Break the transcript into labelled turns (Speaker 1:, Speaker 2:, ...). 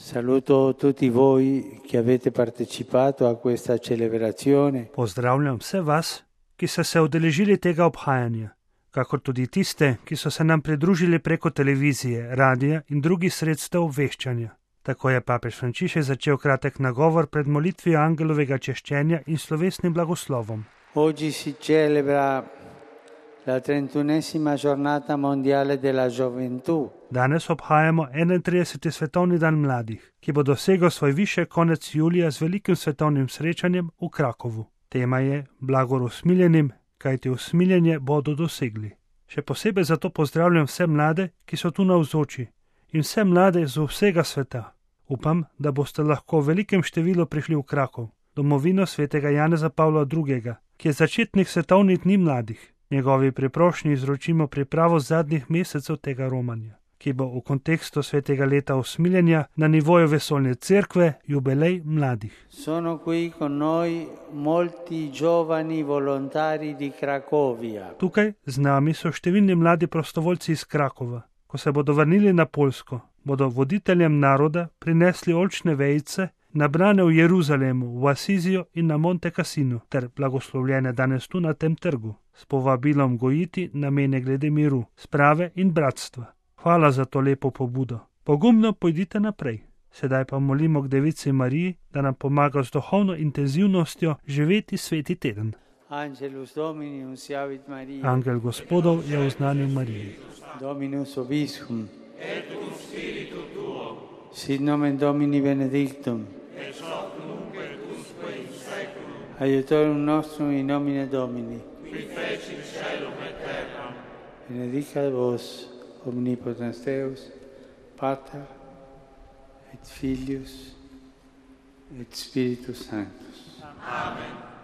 Speaker 1: Saluto tutti voi che avete partecipato a questa celebrazione.
Speaker 2: Pozdravljam vse vas, ki ste se udeležili tega obhajanja, kakor tudi tiste, ki so se nam pridružili preko televizije, radia in drugih sredstev obveščanja. Tako je papež Frančišek začel kratek nagovor pred molitvijo angelovega češčenja in slovesnim blagoslovom.
Speaker 1: Oggi si celebra la 31esima giornata mondiale della gioventù.
Speaker 2: Danes obhajamo 31. svetovni dan mladih, ki bo dosegel svoj višek konec julija z velikim svetovnim srečanjem v Krakovu. Tema je blagor usmiljenim, kajti usmiljenje bodo dosegli. Še posebej zato pozdravljam vse mlade, ki so tu navzoči, in vse mlade z vsega sveta. Upam, da boste lahko v velikem številu prišli v Krakov, domovino svetega Janeza Pavla II., ki je začetnik svetovnih dni mladih. Njegovi priprošnji izročimo pripravo zadnjih mesecev tega romanja, ki bo v kontekstu svetega leta usmiljenja na nivoju vesoljne cerkve jubilej mladih.
Speaker 1: Sono qui con noi molti giovani volontari di Cracovia.
Speaker 2: Tukaj z nami so številni mladi prostovoljci iz Krakova. Ko se bodo vrnili na Poljsko, bodo voditeljem naroda prinesli oljčne vejice, nabrane v Jeruzalemu, v Asizijo in na Monte Cassinu, ter blagoslovljene danes tu na tem trgu, s povabilom gojiti namene glede miru, sprave in bratstva. Hvala za to lepo pobudo. Pogumno pojdite naprej. Sedaj pa molimo k Devici Mariji, da nam pomaga z duhovno intenzivnostjo živeti sveti teden.
Speaker 1: Angelus Domini unciavit Maria.
Speaker 2: Angel Gospodov je oznanil Mariji.
Speaker 1: Dominus obiscum. Et cum spiritu tuo. Sit nomen Domini benedictum. Ex hoc nunc et usque in saeculum. Aiutorium nostrum in nomine Domini. Qui fecit caelum et terram. Benedicat vos omnipotens Deus, Pater et Filius et Spiritus Sanctus. Amen.